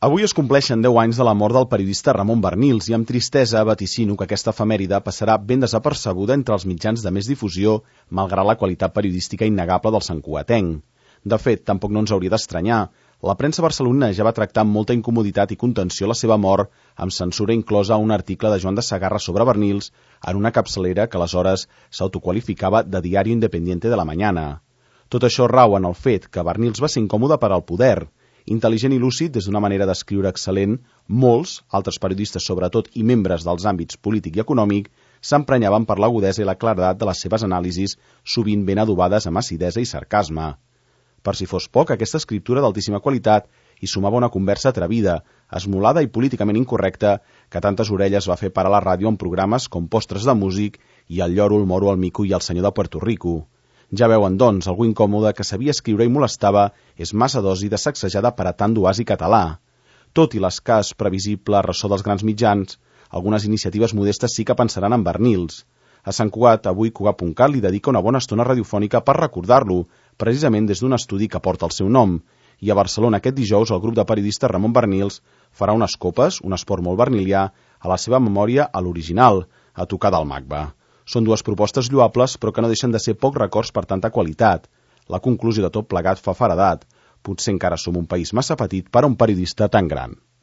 Avui es compleixen 10 anys de la mort del periodista Ramon Barnils i amb tristesa vaticino que aquesta efemèride passarà ben desapercebuda entre els mitjans de més difusió, malgrat la qualitat periodística innegable del santcugatenc. De fet, tampoc no ens hauria d'estranyar. La premsa barcelonina ja va tractar amb molta incomoditat i contenció la seva mort, amb censura inclosa a un article de Joan de Sagarra sobre Barnils en una capçalera que aleshores s'autoqualificava de Diario Independiente de la Mañana. Tot això rau en el fet que Barnils va ser incòmode per al poder. Intel·ligent i lúcid des d'una manera d'escriure excel·lent, molts, altres periodistes sobretot i membres dels àmbits polític i econòmic, s'emprenyaven per l'agudesa i la claredat de les seves anàlisis, sovint ben adobades amb acidesa i sarcasme. Per si fos poc, aquesta escriptura d'altíssima qualitat hi sumava una conversa atrevida, esmolada i políticament incorrecta que tantes orelles va fer parar la ràdio en programes com Postres de músic i El lloro, el moro, el mico i el senyor de Puerto Rico. Ja veuen, doncs, algú incòmode que sabia escriure i molestava és massa dosi de sacsejada per a tant d'oasi català. Tot i l'escàs previsible ressò dels grans mitjans, algunes iniciatives modestes sí que pensaran en Barnils. A Sant Cugat, avui Cugat.cat li dedica una bona estona radiofònica per recordar-lo, precisament des d'un estudi que porta el seu nom. I a Barcelona aquest dijous el grup de periodistes Ramon Barnils farà unes copes, un esport molt barnilià, a la seva memòria a l'original, a tocar del Magba. Són dues propostes lloables, però que no deixen de ser pocs records per tanta qualitat. La conclusió de tot plegat fa feredat. Potser encara som un país massa petit per a un periodista tan gran.